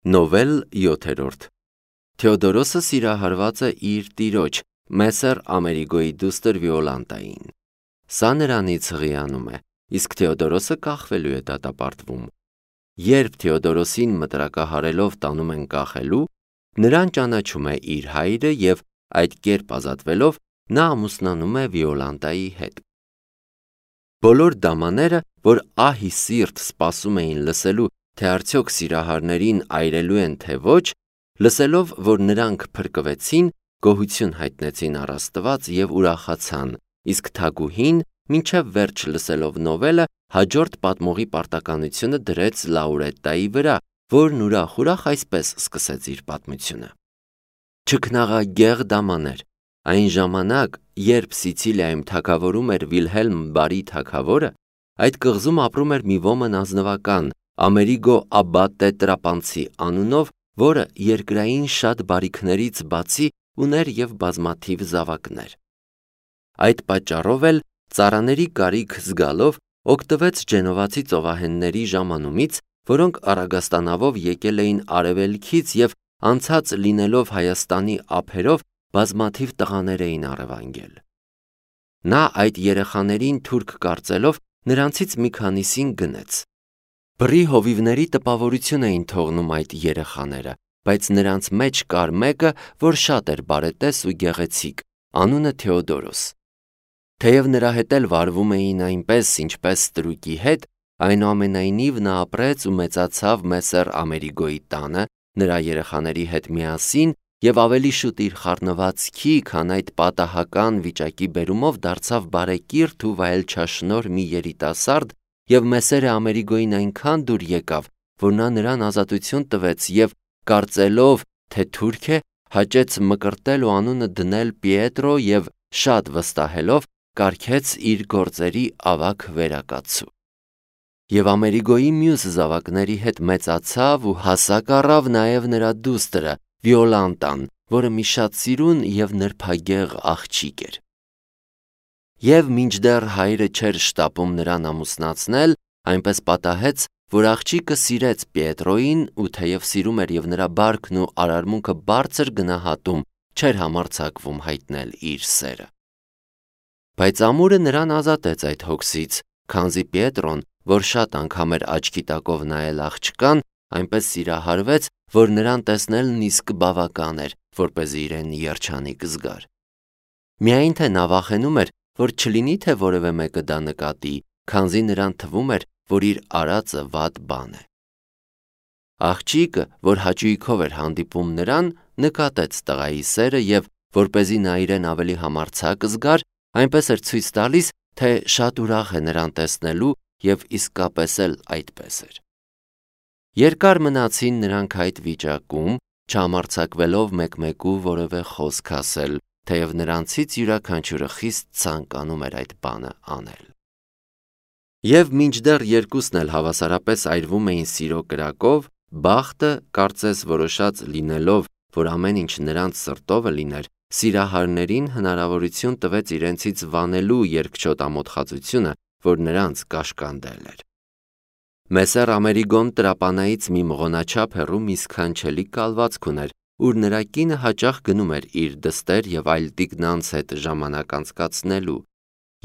Նովել 7 Թեոդորոսը սիրահարված է իր տիրոջ Մեսեր Ամերիգոյի դուստր Վիոլանտային։ Սա նրանից հղիանում է, իսկ Թեոդորոսը կախվելու է դատապարտվում։ Երբ Թեոդորոսին մտրակահարելով տանում են կախելու, նրան ճանաչում է իր հայրը և այդ կերպ ազատվելով նա ամուսնանում է Վիոլանտայի հետ։ Բոլոր դամաները, որ ահի սիրտ սպասում էին լսելու, թե արդյոք սիրահարներին այրելու են թե ոչ, լսելով, որ նրանք փրկվեցին, գոհություն հայտնեցին առ Աստված և ուրախացան, իսկ թագուհին, մինչև վերջ լսելով նովելը, հաջորդ պատմողի պարտականությունը դրեց Լաուրետտայի վրա, որն ուրախ այսպես սկսեց իր պատմությունը. Չքնաղագեղ դամաներ, այն ժամանակ, երբ Սիցիլիայում թագավորում էր Վիլհելմ Բարի թագավորը, այդ կղզում ապրում էր մի ոմն ազնվական, Ամերիգո Աբատե Տրապանցի անունով, որը երկրային շատ բարիքներից բացի ուներ և բազմաթիվ զավակներ։ Այդ պատճառով էլ ծառաների կարիք զգալով օգտվեց Ջենովացի ծովահենների ժամանումից, որոնք առագաստանավով եկել էին արևելքից և անցած լինելով Հայաստանի ափերով բազմաթիվ տղաներ էին առևանգել։ Նա այդ երեխաներին թուրք կարծելով նրանցից մի քանիսին գնեց։ Բռի հովիվների տպավորություն էին թողնում այդ երեխաները, բայց նրանց մեջ կար մեկը, որ շատ էր բարետես ու գեղեցիկ, անունը Թեոդորոս։ Թեև նրա հետ էլ վարվում էին այնպես, ինչպես ստրուկի հետ, այնուամենայնիվ նա ապրեց ու մեծացավ Մեսեր Ամերիգոյի տանը, նրա երեխաների հետ միասին և ավելի շուտ իր խառնվածքի, քան այդ պատահական վիճակի բերումով դարձավ բարեկիրթ ու վայելչաշնորհ մի երիտասարդ և Մեսերը Ամերիգոյին այնքան դուր եկավ, որ նա նրան ազատություն տվեց և կարծելով, թե թուրք է, հաճեց մկրտել ու անունը դնել Պիետրո և շատ վստահելով կարգեց իր գործերի ավագ վերակացու։ Եվ Ամերիգոյի մյուս զավակների հետ մեծացավ ու հասակ առավ նաև նրա դուստրը Վիոլանտան, որը մի շատ սիրուն և նրբագեղ աղջիկ էր։ Եվ մինչդեռ հայրը չէր շտապում նրան ամուսնացնել, այնպես պատահեց, որ աղջիկը սիրեց Պիետրոյին ու թեև սիրում էր և նրա բարքն ու արարմունքը բարձր գնահատում, չէր համարձակվում հայտնել իր սերը։ Բայց ամուրը նրան ազատեց այդ հոգսից, քանզի Պիետրոն, որ շատ անգամ էր աչքի տակով նայել աղջկան, այնպես սիրահարվեց, որ նրան տեսնելն իսկ բավական էր, որպեսզի իրեն երջանիկ զգար։ Միայն թե նա վախենում էր, որ չլինի թե որևէ մեկը դա նկատի, քանզի նրան թվում էր, որ իր արածը վատ բան է։ Աղջիկը, որ հաճույքով էր հանդիպում նրան, նկատեց տղայի սերը և, որպեսզի նա իրեն ավելի համարձակ զգար, այնպես էր ցույց տալիս, թե շատ ուրախ է նրան տեսնելու և իսկապես էլ այդպես էր։ Երկար մնացին նրանք այդ վիճակում, չհամարձակվելով մեկմեկու որևէ խոսք ասել, թեև նրանցից յուրաքանչյուրը խիստ ցանկանում էր այդ բանը անել։ Եվ մինչդեռ երկուսն էլ հավասարապես այրվում էին սիրո կրակով, բախտը, կարծես որոշած լինելով, որ ամեն ինչ նրանց սրտովը լիներ, սիրահարներին հնարավորություն տվեց իրենցից վանելու երկչոտ ամոթխածությունը, որ նրանց կաշկանդել էր։ Մեսեր Ամերիգոն տրապանայից մի մղոնաչափ հեռու մի սքանչելի կալվածք ուներ, ուր նրա կինը հաճախ գնում էր իր դստեր և այլ տիկնանց հետ ժամանակ անցկացնելու։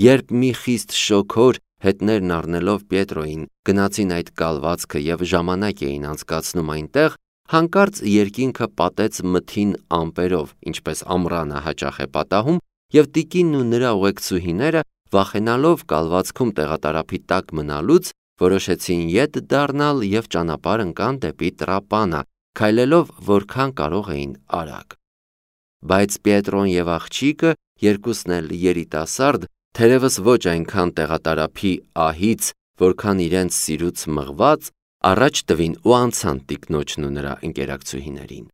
Երբ մի խիստ շոգոր, հետներն առնելով Պիետրոյին, գնացին այդ կալվածքը և ժամանակ էին անցկացնում այնտեղ, հանկարծ երկինքը պատեց մթին ամպերով, ինչպես ամռանը հաճախ է պատահում, և տիկինն ու նրա ուղեկցուհիները, վախենալով կալվածքում տեղատարափի տակ մնալուց, որոշեցին ետ դառնալ և ճանապարհ ընկան դեպի Տրապանա, քայլելով որքան կարող էին արագ։ Բայց Պիետրոն և աղջիկը, երկուսն էլ երիտասարդ, թերևս ոչ այնքան տեղատարափի ահից, որքան իրենց սիրուց մղված, առաջ տվին ու անցան տիկնոջն ու նրա ընկերակցուհիներին։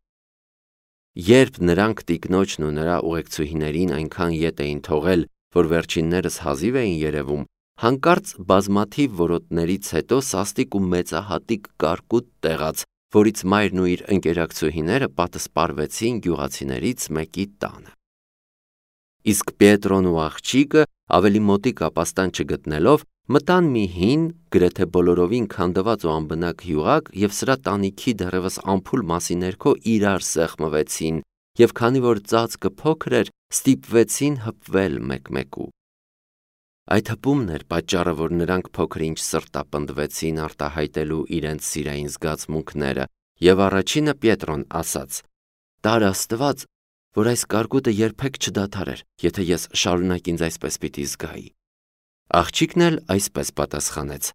Երբ նրանք տիկնոջն ու նրա ուղեկցուհիներին այնքան ետ էին թողել, որ վերջիններս հազիվ էին երևում, հանկարծ բազմաթիվ որոտներից հետո սաստիկ ու մեծահատիկ կարկուտ տեղաց, որից մայրն ու իր ընկերակցուհիները պատսպարվեցին գյուղացիներից մեկի տանը։ Իսկ Պիետրոն ու աղջիկը, ավելի մոտիկ ապաստան չգտնելով, մտան մի հին, գրեթե բոլորովին քանդված ու անբնակ յուղակ և սրա տանիքի դեռևս ամփուլ մասի ներքո իրար սեղմվեցին և քանի որ ծածկը փոքր էր, ստիպվեցին հպվել մեկ-մեկու։ Այդ հպումն էր պատճառը, որ նրանք փոքր-ինչ սրտապնդվեցին արտահայտելու իրենց սիրային զգացմունքները, և առաջինը Պետրոն ասաց. «Տար Աստված, որ այս կարկուտը երբեք չդադարեր, եթե ես շարունակ ինձ այսպես պիտի զգայի»։ Աղջիկն էլ այսպես պատասխանեց.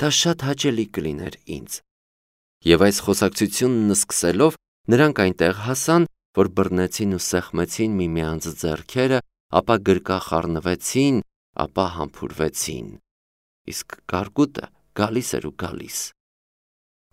«Դա շատ հաճելի կլիներ ինձ»։ Եվ այս խոսակցությունն սկսելով, նրանք այնտեղ հասան, որ բռնեցին ու սեղմեցին միմյանց ձեռքերը, ապա գրկախառնվեցին, ապա համբուրվեցին։ Իսկ կարկուտը գալիս էր ու գալիս։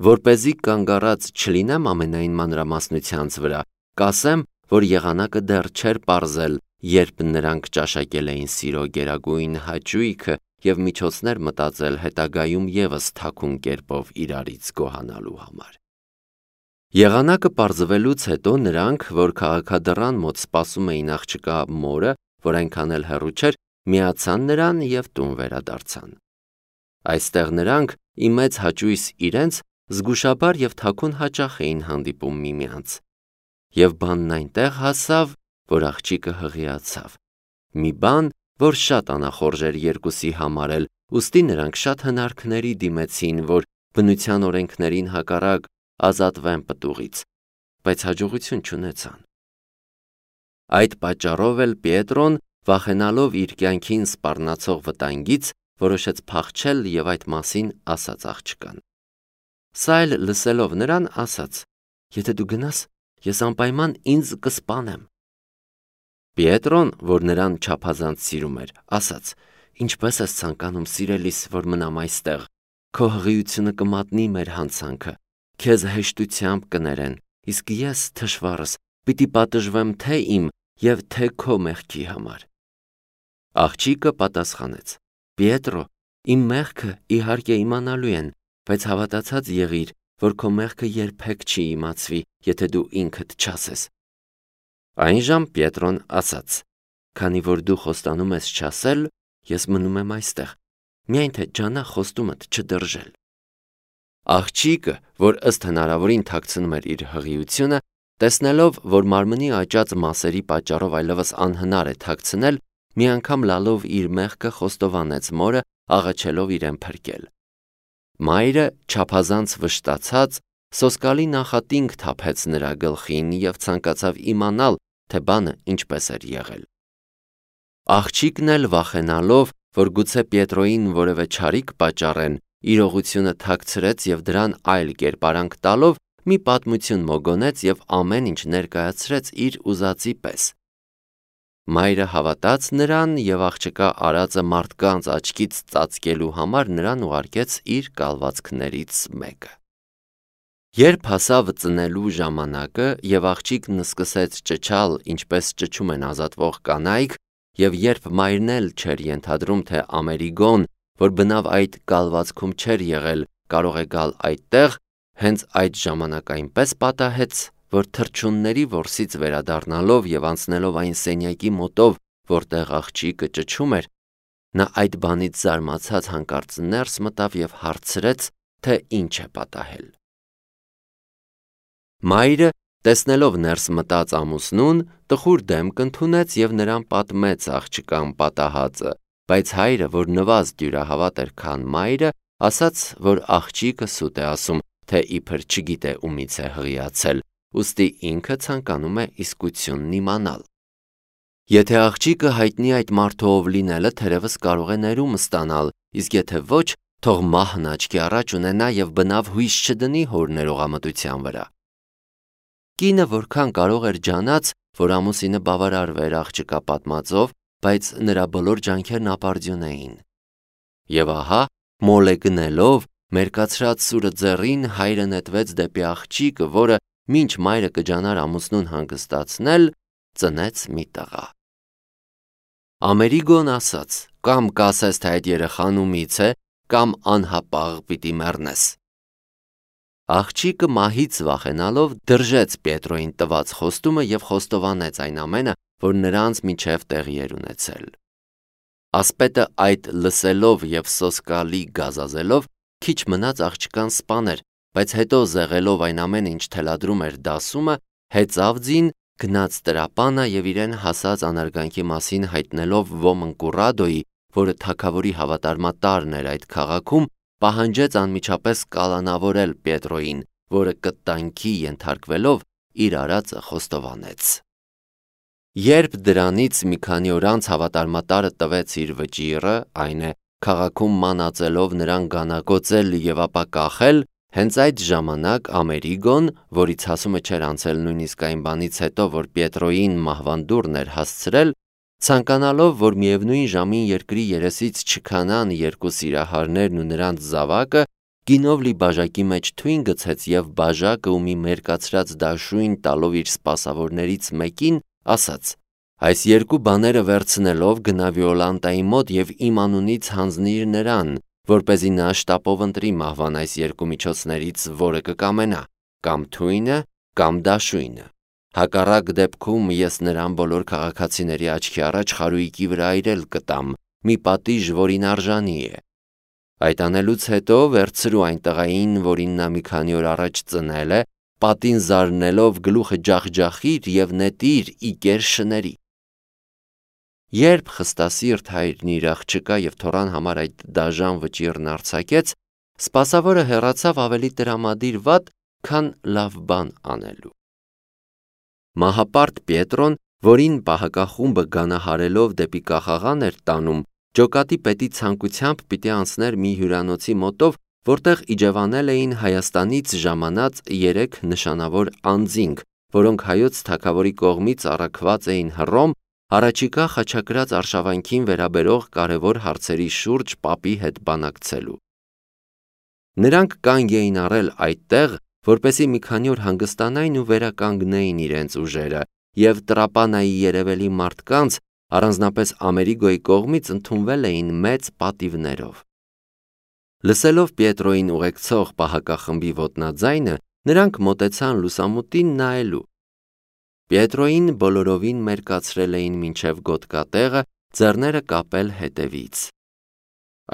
Որպեսզի կանգ առած չլինեմ ամենայն մանրամասնությանց վրա, կասեմ, որ եղանակը դեռ չէր պարզել, երբ նրանք ճաշակել էին սիրո գերագույն հաճույքը և միջոցներ մտածել հետագայում ևս թաքուն կերպով իրարից գոհանալու համար։ Եղանակը պարզվելուց հետո նրանք, որ քաղաքադռան մոտ սպասում էին աղջկա մորը, որ այնքան էլ հեռու չէր, միացան նրան և տուն վերադարձան։ Այստեղ նրանք, ի մեծ հաճույս իրենց, զգուշաբար և թաքուն հաճախ էին հանդիպում միմյանց։ Եվ բանն այնտեղ հասավ, որ աղջիկը հղիացավ։ Մի բան, որ շատ անախորժ էր երկուսի համար էլ, ուստի նրանք շատ հնարքների դիմեցին, որ բնության օրենքներին հակառակ ազատվեն պտուղից, բայց հաջողություն չունեցան։ Այդ պատճառով էլ Պետրոն, վախենալով իր կյանքին սպառնացող վտանգից, որոշեց փախչել և այդ մասին ասաց աղջկան։ Սա էլ լսելով նրան ասաց. «Եթե դու գնաս, ես անպայման ինձ կսպանեմ»։ Պետրոն, որ նրան չափազանց սիրում էր, ասաց. «Ինչպես ես ցանկանում, սիրելիս, որ մնամ այստեղ, քո հղիությունը կմատնի մեր հանցանքը, քեզ հեշտությամբ կներեն, իսկ ես, թշվառս, պիտի պատժվեմ թե իմ և թե քո մեղքի համար»։ Աղջիկը պատասխանեց. «Պետրո, իմ մեղքը իհարկե իմանալու են, բայց հավատացած եղիր, որ քո մեղքը երբեք չի իմացվի, եթե դու ինքդ չասես»։ Այնժամ Պետրոն ասաց. «Քանի որ դու խոստանում ես չասել, ես մնում եմ այստեղ, միայն թե ջանա խոստումդ չդրժել»։ Աղջիկը, որ ըստ հնարավորին թաքցնում էր իր հղիությունը, տեսնելով, որ մարմնի աճած մասերի պատճառով այլևս անհնար է թաքցնել, մի անգամ լալով իր մեղքը խոստովանեց մորը, աղաչելով իրեն փրկել։ Մայրը, չափազանց վշտացած, սոսկալի նախատինք թափեց նրա գլխին և ցանկացավ իմանալ, թե բանը ինչպես էր եղել։ Աղջիկն էլ վախենալով, որ գուցե Պետրոյին որևէ չարիք պատճառեն, իրողությունը թաքցրեց և դրան այլ կերպարանք տալով մի պատմություն մոգոնեց և ամեն ինչ ներկայացրեց իր ուզածի պես։ Մայրը հավատաց նրան և աղջկա արածը մարդկանց աչքից ծածկելու համար նրան ուղարկեց իր կալվածքներից մեկը։ Երբ հասավ ծնելու ժամանակը և աղջիկն սկսեց ճչալ, ինչպես ճչում են ազատվող կանայք, և երբ մայրն էլ չէր ենթադրում, թե Ամերիգոն, որ բնավ այդ կալվածքում չէր եղել, կարող է գալ այդտեղ, հենց այդ ժամանակ այնպես պատահեց, որ թռչունների որսից վերադառնալով և անցնելով այն սենյակի մոտով, որտեղ աղջիկը ճչում էր, նա այդ բանից զարմացած հանկարծ ներս մտավ և հարցրեց, թե ինչ է պատահել։ Մայրը, տեսնելով ներս մտած ամուսնուն, տխուր դեմք ընդունեց և նրան պատմեց աղջկան պատահածը, բայց հայրը, որ նվազ դյուրահավատ էր, քան մայրը, ասաց, որ աղջիկը սուտ է ասում, թե իբր չգիտե ումից է հղիացել, ուստի ինքը ցանկանում է իսկությունն իմանալ։ Եթե աղջիկը հայտնի այդ մարդու ով լինելը, թերևս կարող է ներում ստանալ, իսկ եթե ոչ, թող մահն աչքի առաջ ունենա և բնավ հույս չդնի հոր ներողամտության վրա։ Կինը որքան կարող էր ջանաց, որ ամուսինը բավարարվեր աղջկա պատմածով, բայց նրա բոլոր ջանքերն ապարդյուն էին։ Եվ ահա, մոլ է գնելով, մերկացրած սուրը ձեռին, հայրը նետվեց դեպի աղջիկը, որը, մինչ մայրը կջանար ամուսնուն հանգստացնել, ծնեց մի տղա։ Ամերիգոն ասաց. «Կամ կասես, թե այդ երեխան ումից է, կամ անհապաղ պիտի մեռնես»։ Աղջիկը մահից վախենալով դրժեց Պետրոյին տված խոստումը և խոստովանեց այն ամենը, որ նրանց միջև տեղի էր ունեցել։ Ասպետը այդ լսելով և սոսկալի գազազելով քիչ մնաց աղջկան սպաներ, բայց հետո զեղելով այն ամեն ինչ թելադրում էր դասումը, հեծավ ձին, գնաց տրապանը և իրեն հասած անարգանքի մասին հայտնելով ոմն Կուրրադոյի, որը թագավորի հավատարմատարն էր այդ քաղաքում, պահանջեց անմիջապես կալանավորել Պիետրոյին, որը կտանքի ենթարկվելով իր արածը խոստովանեց։ Երբ դրանից մի քանի օր անց հավատարմատարը տվեց իր վճիռը, այն է, քաղաքում մանածելով նրան գանագոծել և ապա կախել, հենց այդ ժամանակ Ամերիգոն, որից հասումը չէր անցել նույնիսկ այն բանից հետո, որ Պիետրոյին մահվան դուռն էր հասցրել, ցանկանալով, որ միևնույն ժամին երկրի երեսից չքանան երկու սիրահարներն ու նրանց զավակը, գինով լի բաժակի մեջ թույն գցեց և բաժակը ու մի մերկացրած դաշույն տալով իր սպասավորներից մեկին, ասաց. «Այս երկու բաները վերցնելով գնա Վիոլանտայի մոտ և իմ անունից հանձնիր նրան, որպեսզի նա շտապով ընտրի մահվան այս երկու միջոցներից, որը կկամենա, կամ թույնը, կամ դաշույնը։ Հակառակ դեպքում ես նրան բոլոր քաղաքացիների աչքի առաջ խարույկի վրա այրել կտամ, մի պատիժ, որին արժանի է։ Այդ անելուց հետո վերցրու այն տղային, որին նա մի քանի օր առաջ ծնել է, պատին զարնելով գլուխը ջախջախիր և նետիր Իկեր շների»։ Երբ խստասիրտ հայրն իր աղջկա և թոռան համար այդ դաժան վճիռն արձակեց, սպասավորը հեռացավ ավելի տրամադիր վատ, քան լավ բան անելու։ Մահապարտ Պիետրոն, որին պահակախումբը գանահարելով դեպի կախաղան էր տանում, ջոկատի պետի ցանկությամբ պիտի անցներ մի հյուրանոցի մոտով, որտեղ իջևանել էին Հայաստանից ժամանած 3 նշանավոր անձինք, որոնք հայոց թագավորի կողմից առաքված էին Հռոմ, առաջիկա խաչակրած արշավանքին վերաբերող կարևոր հարցերի շուրջ պապի հետ բանակցելու։ Նրանք կանգ էին առել այդտեղ, որպեսզի մի քանի օր հանգստանային ու վերականգնեին իրենց ուժերը, և Տրապանայի երևելի մարդկանց, առանձնապես Ամերիգոյի կողմից ընդունվել էին մեծ պատիվներով։ Լսելով Պիետրոյին ուղեկցող պահակախմբի ոտնաձայնը, նրանք մոտեցան լուսամուտին նայելու։ Պիետրոյին բոլորովին մերկացրել էին մինչև գոտկատեղը, ձեռները կապել հետևից։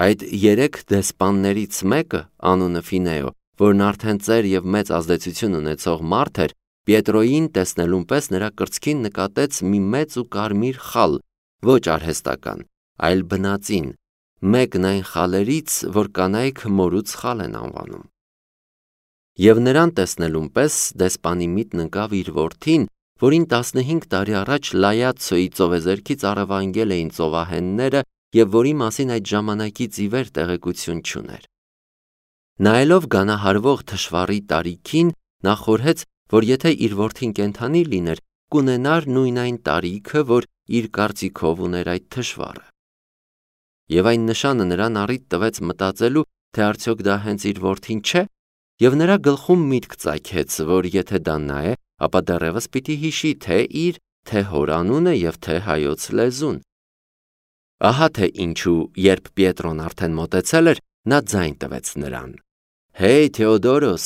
Այդ 3 դեսպաններից մեկը, անունը Ֆինեո, որն արդեն ծեր և մեծ ազդեցություն ունեցող մարդ էր, Պիետրոյին տեսնելուն պես նրա կրծքին նկատեց մի մեծ ու կարմիր խալ, ոչ արհեստական, այլ բնածին, մեկն այն խալերից, որ կանայք մորուց խալ են անվանում։ Եվ նրան տեսնելուն պես դեսպանի միտն ընկավ իր որդին, որին 15 տարի առաջ Լայացցոյի ծովեզերքից առևանգել էին ծովահենները և որի մասին այդ ժամանակից ի վեր տեղեկություն չուներ։ Նայելով գանահարվող թշվառի տարիքին, նա խորհեց, որ եթե իր որդին կենդանի լիներ, կունենար նույն այն տարիքը, որ իր կարծիքով ուներ այդ թշվառը։ Եվ այն նշանը նրան առիթ տվեց մտածելու, թե արդյոք դա հենց իր որդին չէ, և նրա գլխում միտք ծագեց, որ եթե դա նա է, ապա դեռևս պիտի հիշի թե իր, թե հոր անունը և թե հայոց լեզուն։ Ահա թե ինչու, երբ Պիետրոն արդեն մոտեցել էր, նա ձայն տվեց նրան. «Հեյ, Թեոդորոս»։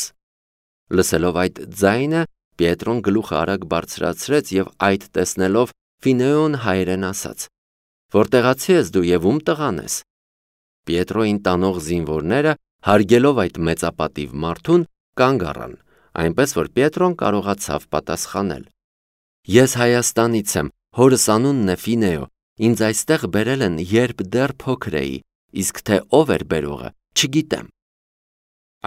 Լսելով այդ ձայնը, Պիետրոն գլուխը արագ բարձրացրեց և այդ տեսնելով Ֆինեոն հայերեն ասաց. «Որտեղացի ես դու և ում տղան ես»։ Պիետրոյին տանող զինվորները, հարգելով այդ մեծապատիվ մարդուն, կանգ առան, այնպես որ Պիետրոն կարողացավ պատասխանել. «Ես Հայաստանից եմ, հորս անունն է Ֆինեո, ինձ այստեղ բերել են, երբ դեռ փոքր էի, իսկ թե ով էր բերողը, չգիտեմ»։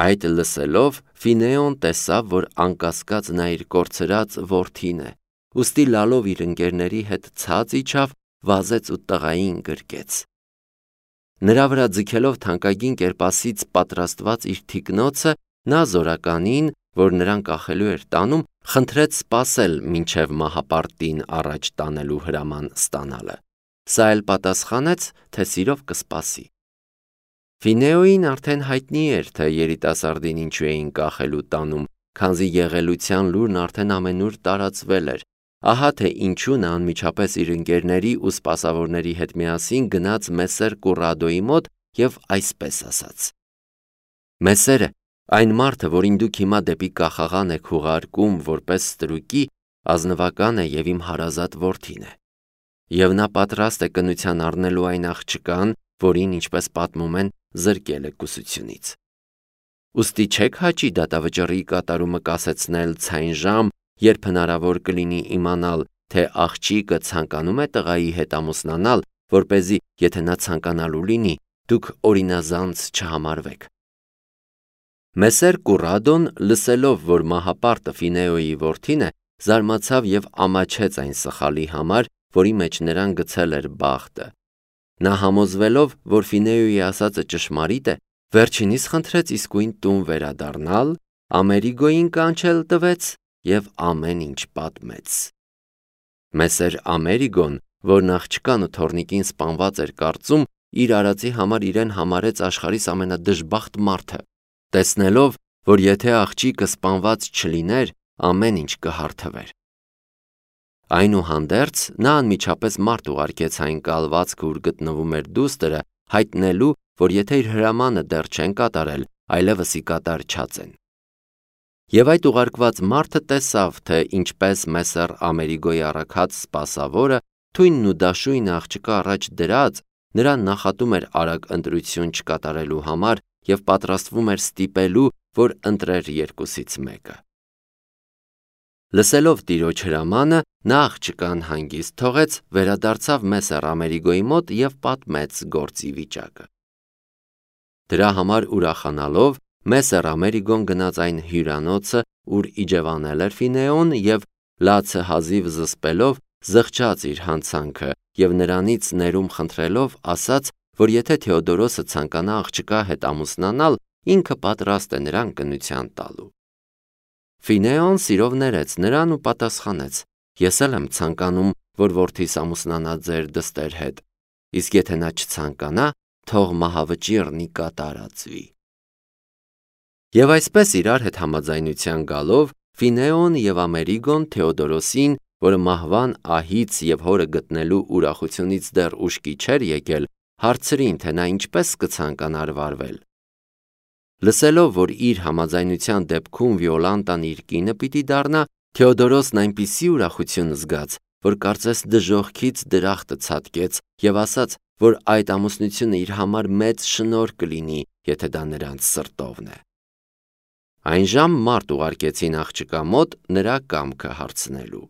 Այդ լսելով Ֆինեոն տեսավ, որ անկասկած նա իր կորցրած որդին է, ուստի լալով իր ընկերների հետ ցած իջավ, վազեց ու տղային գրկեց։ Նրա վրա ձգելով թանկագին կերպասից պատրաստված իր թիկնոցը, նա զորականին, որ նրան կախելու էր տանում, խնդրեց սպասել մինչև մահապարտին առաջ տանելու հրաման ստանալը։ Սա էլ պատասխանեց, թե սիրով կսպասի։ Ֆինեոյին արդեն հայտնի էր, թե երիտասարդին ինչու էին կախելու տանում, քանզի եղելության լուրն արդեն ամենուր տարածվել էր։ Ահա թե ինչու նա անմիջապես իր ընկերների ու սպասավորների հետ միասին գնաց Մեսեր Կուրրադոյի մոտ և այսպես ասաց. «Մեսերը, այն մարդը, որին դուք հիմա դեպի կախաղան եք ուղարկում որպես ստրուկի, ազնվական է և իմ հարազատ որդին է։ եւ նա պատրաստ է կնության առնելու այն աղջկան, որին, ինչպես պատմում են, զրկել է կուսությունից։ Ուստի չեք հաճի դատավճռի կատարումը կասեցնել ցայն ժամ, երբ հնարավոր կլինի իմանալ, թե աղջիկը ցանկանում է տղայի հետ ամուսնանալ, որպեսզի, եթե նա ցանկանալու լինի, դուք օրինազանց չհամարվեք։ Մեսեր Կուրադոն, լսելով, որ մահապարտը Ֆինեոյի որդին է, զարմացավ եւ ամաչեց այն սխալի համար, որի մեջ նրան գցել էր բախտը։ Նա համոզվելով, որ Ֆինեոյի ասածը ճշմարիտ է, վերջինիս խնդրեց իսկույն տուն վերադառնալ, Ամերիգոյին կանչել տվեց եւ ամեն ինչ պատմեց։ Մեսեր Ամերիգոն, որն աղջկան ու թոռնիկին սպանված էր կարծում, իր արածի համար իրեն համարեց աշխարհիս ամենադժբախտ մարդը, տեսնելով, որ եթե աղջիկը սպանված չլիներ, ամեն ինչ կհարթվեր։ Այնուհանդերձ նա անմիջապես մարդ ուղարկեց այն կալվածքը, ուր գտնվում էր դուստրը, հայտնելու, որ եթե իր հրամանը դեռ չեն կատարել, այլևս ի կատար չածեն։ Եվ այդ ուղարկված մարդը տեսավ, թե ինչպես Մեսեր Ամերիգոյի առաքած սպասավորը թույնն ու դաշույնը աղջկա առաջ դրած, նրան նախատում էր արագ ընտրություն չկատարելու համար եւ պատրաստվում էր ստիպելու, որ ընտրեր երկուսից մեկը։ Լսելով տիրոջ հրամանը, նա աղջկան հանգիստ թողեց, վերադարձավ Մեսեր Ամերիգոյի մոտ եւ պատմեց գործի վիճակը։ Դրա համար ուրախանալով, Մեսեր Ամերիգոն գնաց այն հյուրանոցը, ուր իջևանել էր Ֆինեոն եւ լացը հազիվ զսպելով զղջաց իր հանցանքը եւ նրանից ներում խնդրելով ասաց, որ եթե Թեոդորոսը ցանկանա աղջկա հետ ամուսնանալ, ինքը պատրաստ է նրան կնության տալու։ Ֆինեոն սիրով ներեց նրան ու պատասխանեց. Ես էլ եմ ցանկանում, որ որդիս ամուսնանա ձեր դստեր հետ, իսկ եթե նա չցանկանա, թող մահավճիռն ի կատարածվի։ Եվ այսպես իրար հետ համաձայնության գալով, Ֆինեոն եւ Ամերիգոն Թեոդորոսին, որը մահվան ահից եւ հորը գտնելու ուրախությունից դեռ ուշքի չէր եկել, հարցրին, թե նա ինչպես կցանկանար վարվել։ Լսելով, որ իր համաձայնության դեպքում Վիոլանտան իր կինը պիտի դառնա, Թեոդորոսն այնպիսի ուրախություն զգաց, որ կարծես դժոխքից դրախտը ցատկեց եւ ասաց, որ այդ ամուսնությունը իր համար մեծ շնորհ կլինի, եթե դա նրանց սրտովն է։ Այնժամ մարդ ուղարկեցին աղջկա մոտ նրա կամքը հարցնելու։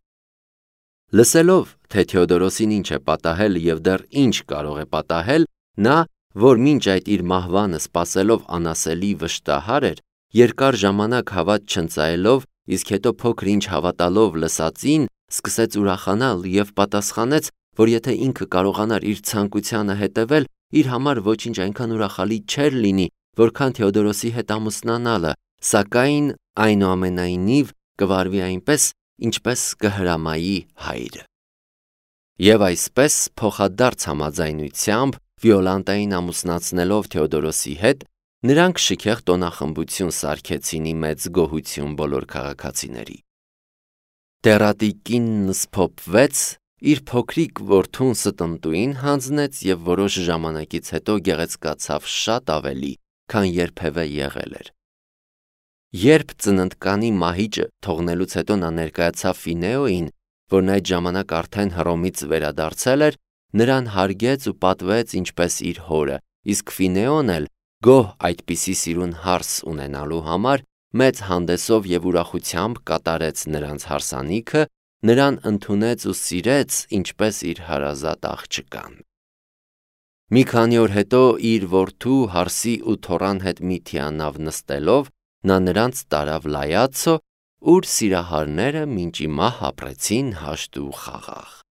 Լսելով, թե Թեոդորոսին ինչ է պատահել եւ դեռ ինչ կարող է պատահել, նա, որ մինչ այդ իր մահվանը սпасելով անասելի վշտահար էր, երկար ժամանակ հավատ չընծայելով, իսկ հետո փոքր ինչ հավատալով լսածին, սկսեց ուրախանալ եւ պատասխանեց, որ եթե ինքը կարողանար իր ցանկությանը հետևել, իր համար ոչինչ այնքան ուրախալի չէր լինի, որքան Թեոդորոսի հետ ամուսնանալը, սակայն այնուամենայնիվ կվարվի այնպես, ինչպես կհրամայի հայրը։ Եվ այսպես փոխադարձ համաձայնությամբ Վիոլանտային ամուսնացնելով Թեոդորոսի հետ, նրանք շքեղ տոնախմբություն սարքեցին ի մեծ գոհություն բոլոր քաղաքացիների։ Տերատի կինն սփոփվեց, իր փոքրիկ որդուն ստնտուին հանձնեց եւ որոշ ժամանակից հետո գեղեցկացավ շատ ավելի, քան երբևէ եղել էր։ Երբ ծննդկանի մահիճը թողնելուց հետո նա ներկայացավ Ֆինեոյին, որն այդ ժամանակ արդեն Հռոմից վերադարձել էր, նրան հարգեց ու պատվեց ինչպես իր հորը, իսկ Ֆինեոն էլ, գոհ այդպիսի սիրուն հարս ունենալու համար, մեծ հանդեսով եւ ուրախությամբ կատարեց նրանց հարսանիքը, նրան ընդունեց ու սիրեց ինչպես իր հարազատ աղջկան։ Մի քանի օր հետո իր որդու հարսի ու թոռան հետ մի թիանավ նստելով, նա նրանց տարավ Լայացո, ուր սիրահարները մինչ ի մահ ապրեցին հաշտ ու խաղաղ։